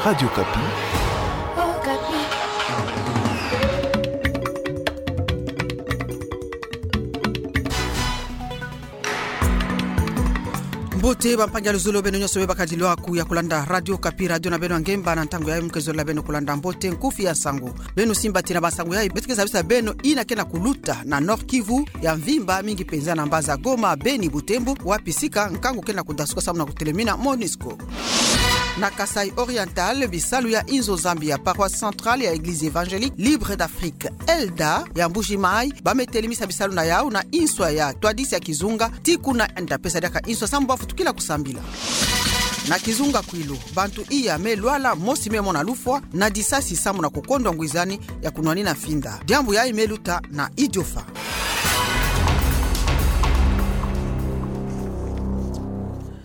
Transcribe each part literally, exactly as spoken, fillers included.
Radio Okapi. Mbote bampangi ya luzolo, beno nyonso me bakadilwaka ya kulanda Radio Okapi, radio na beno ya ngemba. Na ntangu yayi mu ke zola beno kulanda mbote nkufi ya nsangu. Beno simba ti na bansangu yayi beto ke zabisa beno ina ke na kuluta na Nord-Kivu ya mvimba, mingi penza na mbanza Goma, Beni, Butembo, wapi sika nkangu ke na kudasuka samu na kutelemina MONUSCO. Na Kasaï Oriental, bisalu ya inzo Zambie ya Paroisse Centrale ya Église Évangélique Libre d'Afrique, ELDA, ya Mbuji-Mayi, ba me telemisa bisalu na yawu na inswa ya ntwadisi ya kizunga, ti kuna nda pesa diaka inswa samu ba futukila kusambila. Na kizunga Kwilu, bantu iya me lwala, mosi me mona lufwa na disasi samu na kukondwa ngwizani ya kunwanina finda. Diambu yayi me luta na Idiofa.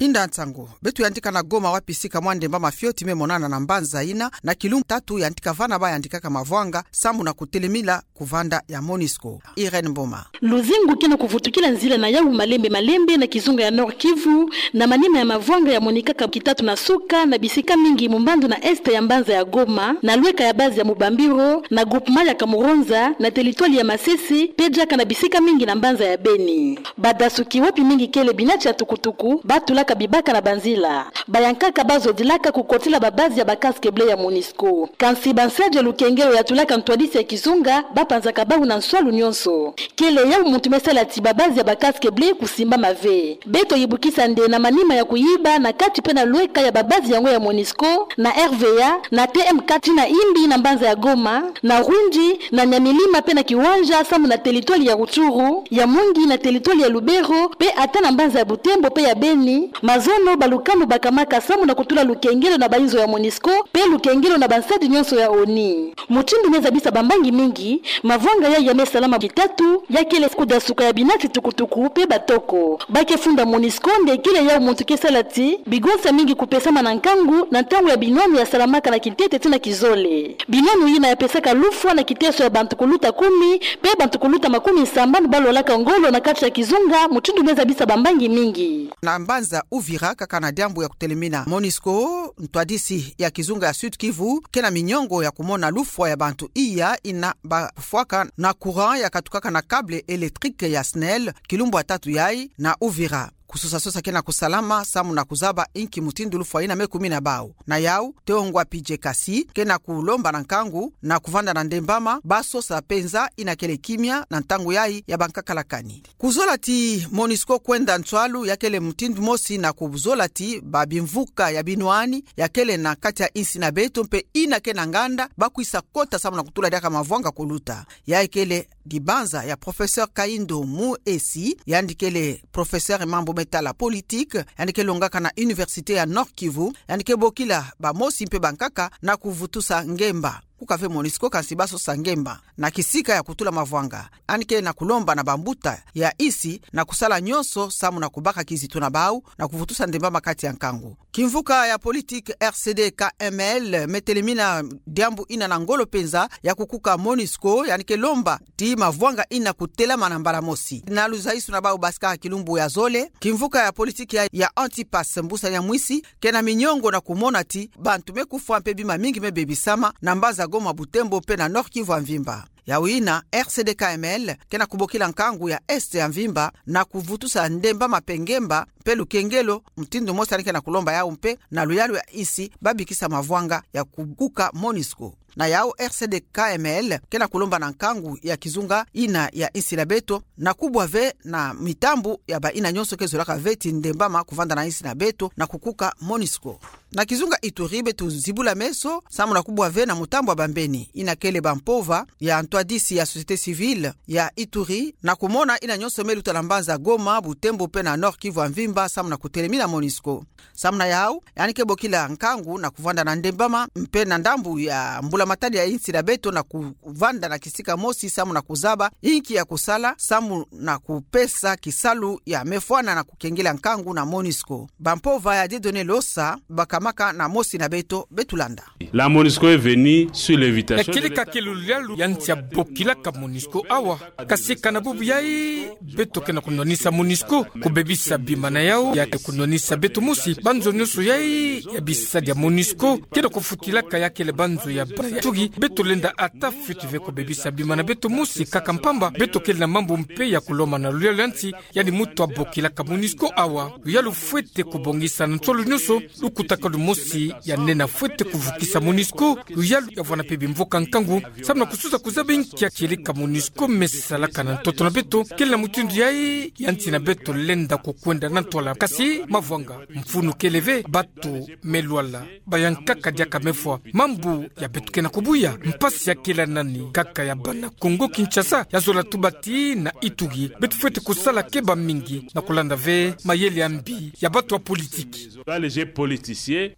Inda nsangu, beto yantika na Goma, wapi sika mwa ndemba mafioti me monana na mbanza ina, na kilumbu tatu yantika vana ba yandikaka mavwanga samu na kutelemila kuvanda ya MONUSCO. Irène Mboma. Luzingu ke na kuvutukila nzila na yawu malembe malembe na kizunga ya Nord-Kivu, na manima ya mavwanga ya monikaka kitatu na suka na bisika mingi mu mbandu na est ya mbanza ya Goma, na lweka ya base ya Mubambiro, na groupement ya Kamuronza, na territoire ya Masisi, pe diaka na bisika mingi na mbanza ya Beni. Badasuki, wapi mingi kele binati ya tukutuku, ba tulaka bibaka na banzila. Bayankaka ba zodilaka kukotila ba base ya ba casques bleus ya MONUSCO. Kansi bansadi ya lukengelo ya tulaka ntwadisi ya kizunga ba panzaka bawu na nswalu nyonso. Kele yawu muntu me sala ti ba base ya ba casques bleus kusimbama ve. Beto yibukisa nde na manima ya kuyiba na kati pe na lweka ya ba base yango ya MONUSCO, na R V A, na T M quatre, ti na Imbi na mbanza ya Goma, na Rwindi, na Nyamilima pe na Kiwanja samu na territoire ya Rutshuru, ya Mungi na territoire ya Lubero, pe ata na mbanza ya Butembo pe ya Beni, mazono balukanu bakamaka samu na kutula lukengelo na bainzo ya MONUSCO, pe lukengelo na bansadi nyonso ya ONU. Mutindu me zabisa bambangi mingi, mavwanga yayi ya me salama kitatu, ya kele kudasuka ya binati tukutuku pe batoko. Ba ke funda MONUSCO nde kele yawu muntu ke sala ti bigonsa mingi kupesama na nkangu na ntangu ya binwanu ya salamaka na kintete ti na kizole. Binwanu ina ya pesaka lufwa na kiteso ya bantu kuluta kumi, pe bantu kuluta makumi sambanu ba lwalaka ngolo na kati ya kizunga, mutindu me zabisa bambangi mingi. Na mbanza Uvira, kaka na diambu ya kutelemina MONUSCO, ntwadisi ya kizunga ya Sud-Kivu ke na miniongo ya kumona lufwa ya bantu iya ina ba kufwaka na courant ya katukaka na câble électrique ya SNEL, kilumbu ya tatu yayi na Uvira. Kusosa-sosa ke na kusalama samu na kuzaba inki mutindu lufwa ina me kumina bawu. Na yawu, Teongwa Pidje Kasi ke na kulomba na nkangu na kuvanda na ndembama, ba sosa penza ina kele kimia na ntangu yayi ya bankakala kani. Kuzola ti MONUSCO kwenda nswalu ya kele mutindu mosi na kuzola ti ba bimvuka ya binwani ya kele na kati ya insi na beto mpe ina ke na nganda ba kwisa kota samu na kutula diaka mavwanga kuluta. Yayi kele dibanza ya Professeur Kayindo Muesi, yandi kele professeur mambu me tala politique, yandi ke longaka na Université ya Nord-Kivu, yandi ke bokila bamosi mpe bankaka na kuvutusa ngemba. Kuka ve MONUSCO, kansi ba sosa ngemba na kisika ya kutula mavwanga. Yandi ke na kulomba na bambuta ya insi na kusala nyonso samu na kubaka kizitu na bawu na kuvutusa ndembama kati ya nkangu. Kimvuka ya politique R C D K M L me telemina diambu ina na ngolo penza ya kukuka MONUSCO, yandi ke lomba ti mavwanga ina kutelama na mbala mosi. Na luzaisu na bawu basika kilumbu ya zole, kimvuka ya politique ya, ya Antipas Mbusa Nyamwisi ke na miniongo na kumona ti bantu me kufwa mpe bima mingi me bebisama na mbanza Goma, Butembo mpe na Nord-Kivu ya mvimba. Yawu ina, R C D K M L ke na kubokila nkangu ya Est ya mvimba na kuvutusa ndembama mpe ngemba mpe lukengelo, mutindu mosi yandi ke na kulomba yawu mpe na luyalu ya insi ba bikisa mavwanga ya kukuka MONUSCO. Na yawu, R C D K M L ke na kulomba na nkangu ya kizunga ina ya insi na beto na kubwa ve na mitambu ya ba ina nyonso ke zolaka ve ti ndembama kuvanda na insi na beto na kukuka MONUSCO. Na kizunga Ituri, beto zibula meso samu na kubwa ve na mutambu ya bambeni ina kele bampova ya ntwadisi ya société civile ya Ituri na kumona ina nyonso me luta na mbanza Goma, Butembo mpe na Nord-Kivu ya mvimba samu na kutelemina MONUSCO. Samu na yawu, yandi ke bokila nkangu na kuvanda na ndembama mpe na ndambu ya mbula matadi ya insi na beto na kuvanda na kisika mosi samu na kuzaba inki ya kusala samu na kupesa kisalu ya me fwana na kukengela nkangu na MONUSCO. Bampova ya Dieudonné Losa baka salamaka na mosi na beto, beto landa. La MONUSCO est venue sur l'invitation. Ya kieleka kele luyalu ya nsi ya bokilaka MONUSCO awa. Kasi kana bubu yayi, beto ke na kunwanisa MONUSCO kubebisa bima na yau, ya ke kunwanisa beto mosi, banzo nyonso yayi ya bisadi ya MONUSCO ke na kufutilaka ya kele banzo ya bana ya tugi, beto lenda ata fweti ve kubebisa bima na beto mosi kaka mpamba, beto kele na mambu mpe ya kulomana na luyalu ya nsi, yandi muntu abokilaka MONUSCO awa. Luyalu fwete kubongisa na nsolo nyonso, lukutakalu mosi ya nena fwete kuvukisa MONUSCO, luyalu ya vwanda mpe bimvoka nkangu, samu na kususa kuzaba inki ya kieleka MONUSCO me salaka na ntoto na beto, kele na mutindu yayi ya nsi na beto lenda kukwenda na ntwala. Kasi mavwanga, mfunu kele ve, bato me lwala, bayankaka diaka me fwa. Mambu ya beto ke na kubuya, mpasi ya kele nani? Kaka ya bana Kongo Kinshasa, ya zola tuba tii na itugi. Beto fwete kusala keba mingi na kulanda ve mayele ya mbi ya bato ya politiki. Dans les jeux politiciens.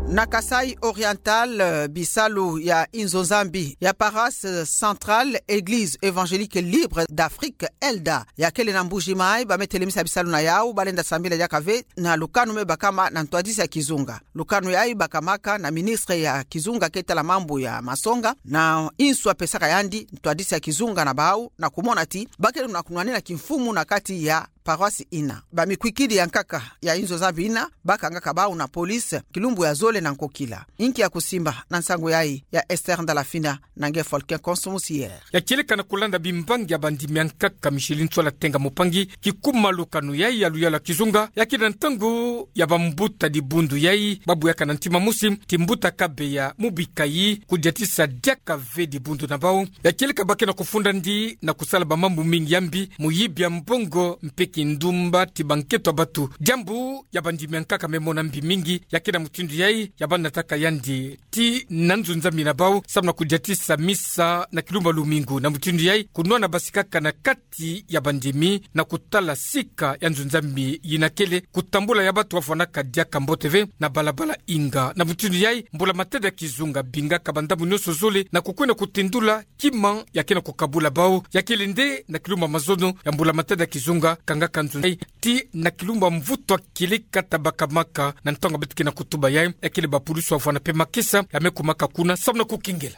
Na Kasaï Oriental, eh, bisalu ya inzo Nzambi ya paroisse centrale Église Évangélique Libre d'Afrique, ELDA, ya kele na Mbuji Mayi, ba me telemisa bisalu na yau, ba lenda sambila diaka ve na lukanu me bakama na ntwadisi ya kizunga. Lukanu yayi bakamaka na ministre ya kizunga ke tala mambu ya masonga, na insu apesaka yandi ntwadisi ya kizunga na bau, na kumona ti ba kele na kunwanina kimfumu na kati ya paroisse ina. Bamikwikidi ya nkaka ya inzo Nzambi ina bakangaka bau na police kilumbu ya zole na nkokila. Inki ya kusimba na nsangu yayi? Ya Esther Ndalafina na nge Folke Konso Musier. Ya kieleka na kulanda bimbangi ya bandimi ya nkaka Micheline Ntsola Tenga Mupangi, kikuma lukanu yayi ya luyalu ya kizunga, ya kele na ntangu ya bambuta dibundu yayi ba buyaka na ntima mosi ti mbuta Kabeya Mubikayi kudiatisa diaka ve dibundu na bau. Ya kieleka ba ke na kufunda ndi na kusala bamambu mingi ya mbi, muyibi ya mbongo mpe kindumba ti banketo ya bato. Diambu ya bandimi ya nkaka me mona mbi mingi, ya kele na mutindu yayi ya banataka yandi tii na nzo Nzambi na bau, samu na kudiatisa misa na kilumbu ya lumingu. Na mutindu yayi, kunwana basi kaka na kati ya bandimi na kutala sika ya nzo Nzambi yina kele, kutambula ya bato bavwanaka diaka mbote ve na balabala inga. Na mutindu yayi, mbula matadi ya kizunga bingaka bandambu nyonso zole na kukwenda kutendula kima ya ke na kukabula bau, ya kele nde na kilumbu ya mazono ya mbula matadi ya kizunga kangaka nzo yayi tii na kilumbu ya mvutu ya kieleka ta bakamaka. Na ntangu beto ke na kutuba yayi, ya kele bapulusu bavwanda mpe makesa ya me kumaka kuna samu na kukengela.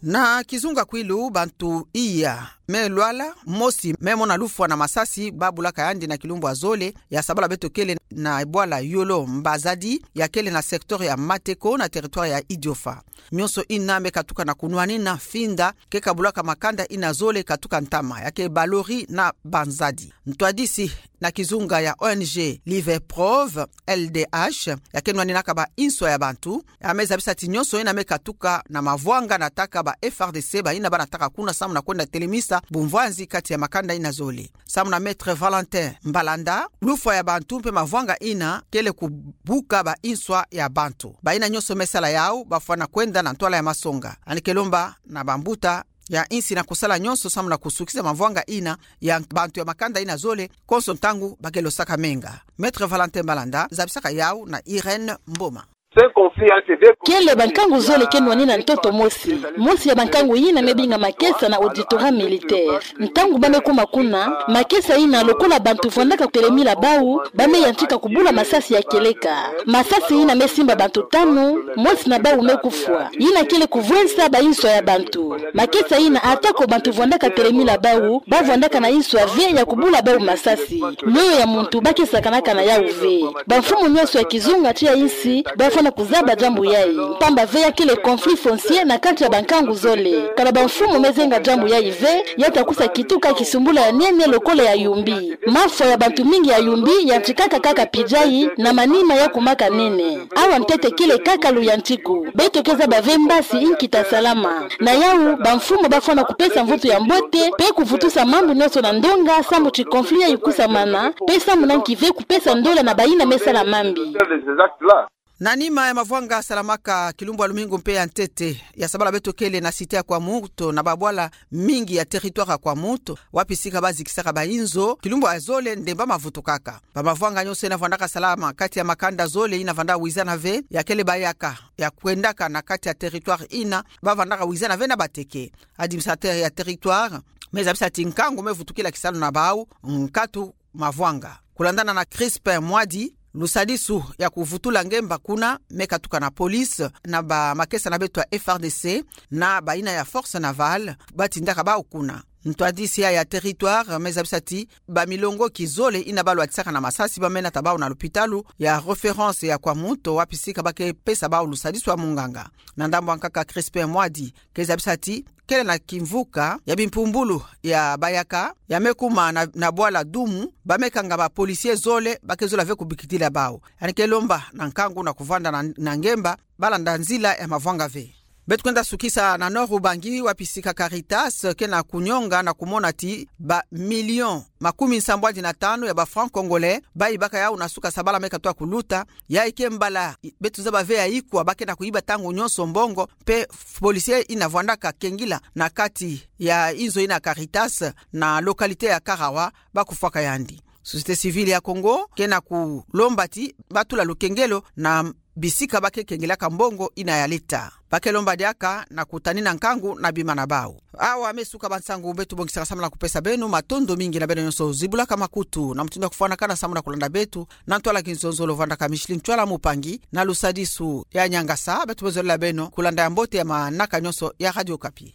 Na kizunga Kwilu, bantu iya me lwala, mosi me mona lufwa na masasi ba bulaka yandi na kilumbu ya zole ya sabala beto kele na bwala Yolo Mbazadi, ya kele na secteur ya Mateko na territoire ya Idiofa. Nyonso ina me katuka na kunwanina finda ke kabulaka makanda ina zole katuka ntama, ya ke balori na banzadi. Ntwadisi na kizunga ya O N G Live Prove, L D H, ya ke nwaninaka ba inswa ya bantu, ya me zabisa ti nyonso ina me katuka na mavwanga nataka ba F A R D C ba ina ba nataka kuna samu na kwenda telemisa bumvwanzi kati ya makanda ina zole. Samu na Maître Valentin Mbalanda, lufwa ya bantu mpe mavwanga ina kele kubuka ba inswa ya bantu. Ba ina nyonso me sala yau bafwana kwenda na ntwala ya masonga. Yandi ke lomba na bambuta ya insi na kusala nyonso samu na kusukisa mavwanga ina ya bantu ya makanda ina zole, konso ntangu ba ke losaka menga. Maître Valentin Mbalanda zabisaka yau na Irène Mboma. Kele bankangu zole ke nwanina ntoto mosi. Mosi ya bankangu yina me binga makesa na auditorat militaire. Ntangu ba me kuma kuna, makesa ina lokola bantu vwandaka telemila bau, ba me yantika kubula masasi ya kieleka. Masasi ina me simba bantu tanu, mosi na bau me kufwa. Yina kele kuvwensa ba inswa ya bantu. Makesa ina, atako bantu vwandaka telemila bau, ba vwandaka na inswa ve ya kubula bau masasi. Mioyo ya muntu ba ke sakanaka na yau ve. Bamfumu nyonso ya kizunga tii ya insi ba fwana kuzaba diambu yayi, mpamba ve ya kele conflit foncier na kati ya bankangu zole. Kana bamfumu me zenga diambu yayi ve, ya takusa kituka kisumbula ya nene lokola ya Yumbi. Mafwa ya bantu mingi ya Yumbi yantikaka kaka pijayi na manima ya kumaka nene. Awa ntete kele kaka luyantiku. Beto ke zaba ve mbasi inki ta salama. Na yau, bamfumu ba fwana kupesa mvutu ya mbote, mpe kuvutusa mambu nyonso na ndonga, samu ti conflit yayi kusamana, mpe samu na nki ve kupesa ndola na ba ina me sala mambi. Na nima ya mavwanga salamaka kilumbu ya lumingu mpe ya ntete, ya sabala beto kele na cité ya Kwamouth, na babwala mingi ya territoire ya Kwamouth, wapi sika ba zikisaka ba inzo, kilumbu ya zole ndemba mavutukaka. Ba mavwanga nyonso ina vwandaka salama kati ya makanda zole ina vwanda wizana ve, ya kele bayaka ya kwendaka na kati ya territoire ina, ba vwandaka wizana ve na bateke. Administrateur ya territoire, Me zabisa ti nkangu me vutukila kisalu na bau nkatu mavwanga. Kulandana na Crispin Mwadi, lusadisu ya kuvutula ngemba kuna me katuka na police na bamakesa na beto ya F R D C na bayina ya Force Navale, batindaka bau kuna. Ntwadisi ya ya territoire me zabisa ti bamilongoki zole yina balwatisaka na masasi bamena ta bau na lupitalu ya référence ya Kwamouth, wapi sika ba ke pesa bau lusadisu ya munganga. Na ndambu ya nkaka, Crispin Mwadi ke zabisa ti kele na kimvuka ya bimpumbulu ya bayaka ya me kuma na, na bwala Doumou, ba me kanga ba policiers zole, ba ke zola ve kubikidila bau. Yandi ke lomba na nkangu na kuvwanda na, na ngemba, balanda nzila ya mavwanga ve. Beto kwenda sukisa na Nord-Ubangi, wapi sika Caritas ke na kunyonga na kumona ti ba millions makumi nsambwadi na tanu ya ba francs congolais bayibaka yau na suka sabala me katoa kuluta. Yayi ke mbala beto zaba ve ya ikwa, ba ke na kuyiba ntangu nyonso mbongo, mpe policier yina vwandaka kengila na kati ya inzo yina Caritas na localité ya Karawa, ba kufwaka yandi. Société civile ya Congo ke na kulomba ti batula lukengelo na bisika ba ke kengelaka mbongo yina ya l'État. Ba ke lomba diaka na kutanina nkangu na bima na bau. Awa me suka bansangu beto bongisaka samu na kupesa beno. Matondo mingi na beno nyonso zibulaka makutu na mutindu ya kufwanakana samu na kulanda beto. Na ntwala kizonzolo, vwandaka Micheline Ntwala Mupangi na lusadisu ya nyangasa. Beto me zolela beno kulanda ya mbote ya manaka nyonso ya Radio Okapi.